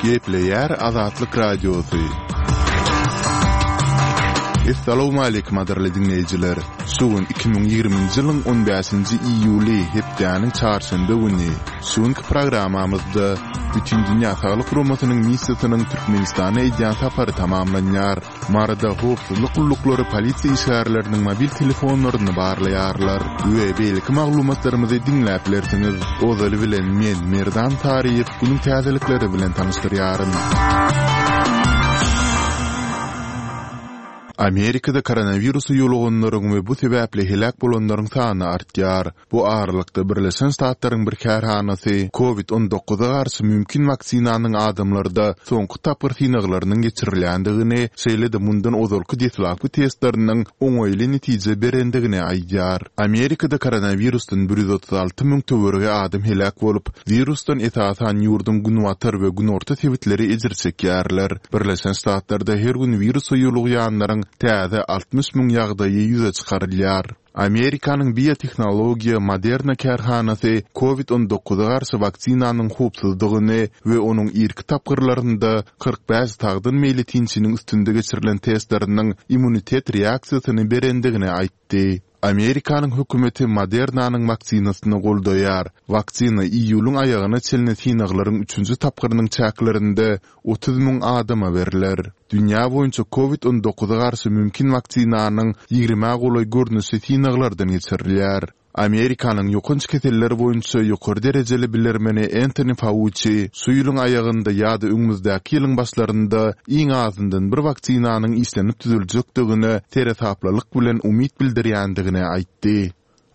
Gepleýär Azatlyk Radiosy. Essalawmaleýkim gadyrly diňleýjiler! Şu gün 2020-nji ýylyň 15-nji iýuly, hepdäniň çarşenbe güni. Şu günki programmamyzda Bütindünýä Saglyk Guramasynyň missiýasynyň Türkmenistana edýän sapary tamamlanýar. Maryda howpsuzlyk gulluklary polisiýa işgärleriniň mobil telefonlaryny barlaýarlar we beýleki maglumatlarymyzy diňläp bilersiňiz. Ozaly bilen men, Merdan Saryýew, günüň täzelikleri bilen tanyşdyrýaryn. Amerikada koronawirusa ýoluganlaryň we bu sebäpli heläk bolanlaryň sany artýar. Bu aralykda, Birleşen Ştatlaryň bir kärhanasy Covid on dokuza garşy mümkin waksinanyň adamlarda soňky tapgyr synaglarynyň geçirilýändigini, şeýle-de mundan ozalky deslapky testleriniň oňaýly netije berendigini aýdýar. Amerikada koronawirusdan 136 müň töweregi adam heläk bolup, wirusdan esasan ýurduň günbatar we günorta sebitleri ejir çekýärler. Birleşen Ştatlarda her gün wirusa ýolugýanlaryň täze 60 müň ýagdaýy ýüze çykarylýar. Amerikanyň biotehnologiýa Moderna kärhanasy Covid on dokuza garşy waksinanyň howpsuzdygyny we onuň irki tapgyrlarynda 45 sagdyn meýletinçiniň üstünde geçirilen testleriniň immunitet reaksiýasyny berendigini aýtdy. Amerikanyň hökümeti Modernanyň waksinasyny goldaýar. Waksina iýulyň aýagyna çenli synaglaryň üçünji tapgyrynyň çäklerinde 30 müň adama berler. Dünýä boýunça Covid on dokuza garşy mümkin waksinanyň ýigrimä golaý görnüşi synaglardan geçirilýär. Amerikanyň ýokanç keseller boýunça ýokary derejeli bilermeni Entoni Fauçi şu ýylyň aýagynda ýa-da öňümizdäki ýylyň başlarynda iň azyndan bir waksinanyň işlenip düzüljekdigine seresaplylyk bilen umyt bildirýändigini aýtdy.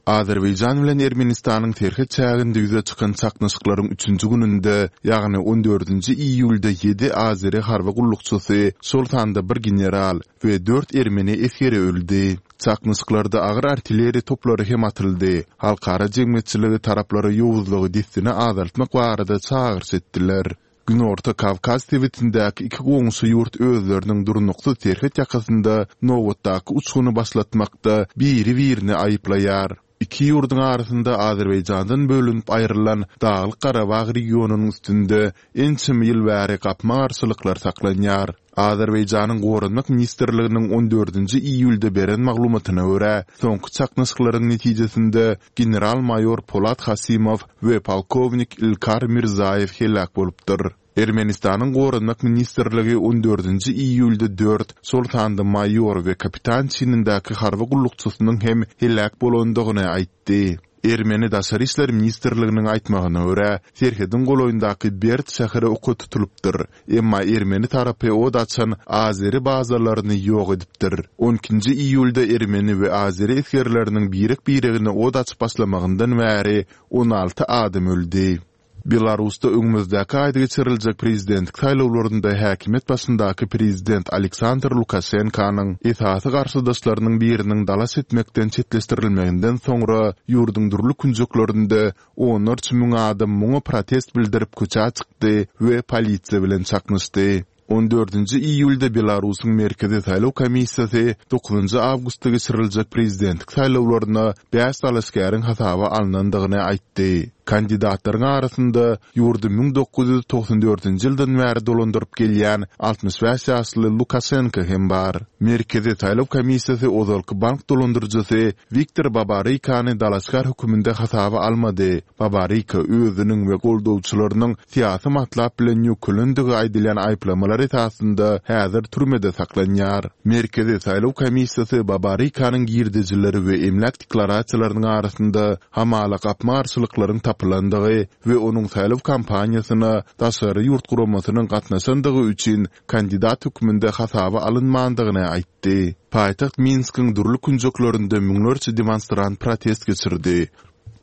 Azerbaýjan bilen Ermenistanyň serhet çäginde ýüze çykan çaknyşyklaryň üçünji gününde, ýagny on dördünji iýulda ýedi azeri harby gullukçysy, şol sanda bir general we dört ermeni esgeri öldi. Çaknyşyklarda agyr artilleriýa toplary hem atyldy. Halkara jemgyýetçiligi taraplara ýowuzlygy dessine azaltmak barada çagyryş etdiler. Günorta Kawkaz sebitindäki iki goňşy ýurt özleriniň durnuksyz serhet ýakasynda nobatdaky uçguny başlatmakda biri-birini aýyplaýar. Iki ýurduň arasynda Azerbaýjandan bölünip aýrylan Daglyk-Garabag regionynyň üstünde ençeme ýyl bäri gapma-garşylyklar saklanýar. Azerbaýjanyň Goranmak ministrliginiň on dördünji iýulda beren maglumatyna görä, soňky çaknyşyklaryň netijesinde general-maýor Polat Hasimow we polkownik Ilkar Mirzaýew heläk bolupdyr. Ermenistanyň Goranmak ministrligi on dördünji iýulda dört, şol sanda maýor we kapitan çinindäki harby gullukçysynyň hem heläk bolandygyny aýtdy. Ermeni Daşary işler ministrliginiň aýtmagyna görä, serhediň golaýyndaky Berd şäheri oka tutulypdyr, emma ermeni tarapy od açan azeri bazalaryny ýok edipdir. On ikinji iýulda ermeni we azeri esgerleriniň birek-biregine od açyp başlamagyndan bäri 16 adam öldi. Belarusda öňümizdäki aýda geçiriljek prezidentlik saýlawlarynda häkimiýet başyndaky prezident Aleksandr Lukaşenkanyň esasy garşydaşlarynyň biriniň dalaş etmekden çetleşdirilmeginden soňra ýurduň dürli künjeklerinde onlarça müň adam muňa protest bildirip köçä çykdy we polisiýa bilen çaknyşdy. On dördünji iýulda Belarusyň Merkezi saýlaw komissiýasy dokuzynjy awgustda geçiriljek prezidentlik saýlawlaryna bäş dalaşgäriň hasaba alnandygyny aýtdy. Kandidatlaryň arasynda ýurdy 1994-nji ýyldan bäri dolandyryp gelýän 65 ýaşly Lukaşenko hem bar. Merkezi saýlaw komissiýasy ozalky bank dolandyryjysy Wiktor Babarykany dalaşgär höküminde hasaba almady. Babaryka özüniň we goldawçylarynyň syýasy matlap bilen ýöňkelendigi aýdylýan aýyplamalar esasynda häzir türmede saklanýar. Merkezi saýlaw komissiýasy Babarykanyň girdejileri we emläk deklarasiýalarynyň arasynda hamala gapma-garşylyklaryň tapylandygy we onuň saýlaw kampaniýasyna daşary ýurt guramasynyň gatnaşandygy üçin kandidat hökmünde hasaba alynmandygyny aýtdy. Paýtagt Minskiň dürli künjeklerinde müňlerçe demonstrant protest geçirdi.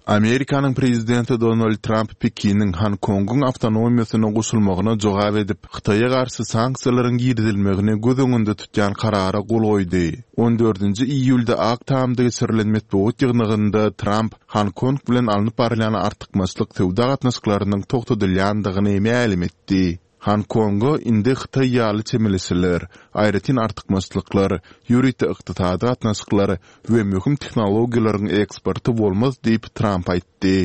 Amerikanyň prezidenti Donald Tramp Pekiniň Honkongyň awtonomiýasyna goşulmagyna jogap edip, Hytaýa garşy sanksiýalaryň girizilmegini göz öňünde tutýan karara gol goýdy. On dördünji iýulda Ak Tamda geçirilen metbugat ýygnagynda Tramp Honkong bilen alnyp barylýan artykmaçlyk söwda gatnaşyklarynyň togtadylýandygyny mälim etdi. Honkonga indi Hytaý ýaly çemeleşiler, aýratyn artykmaçlyklar, ýörite ykdysady gatnaşyklar we möhüm tehnologiýalaryň eksporty bolmaz diýip, Tramp aýtdy.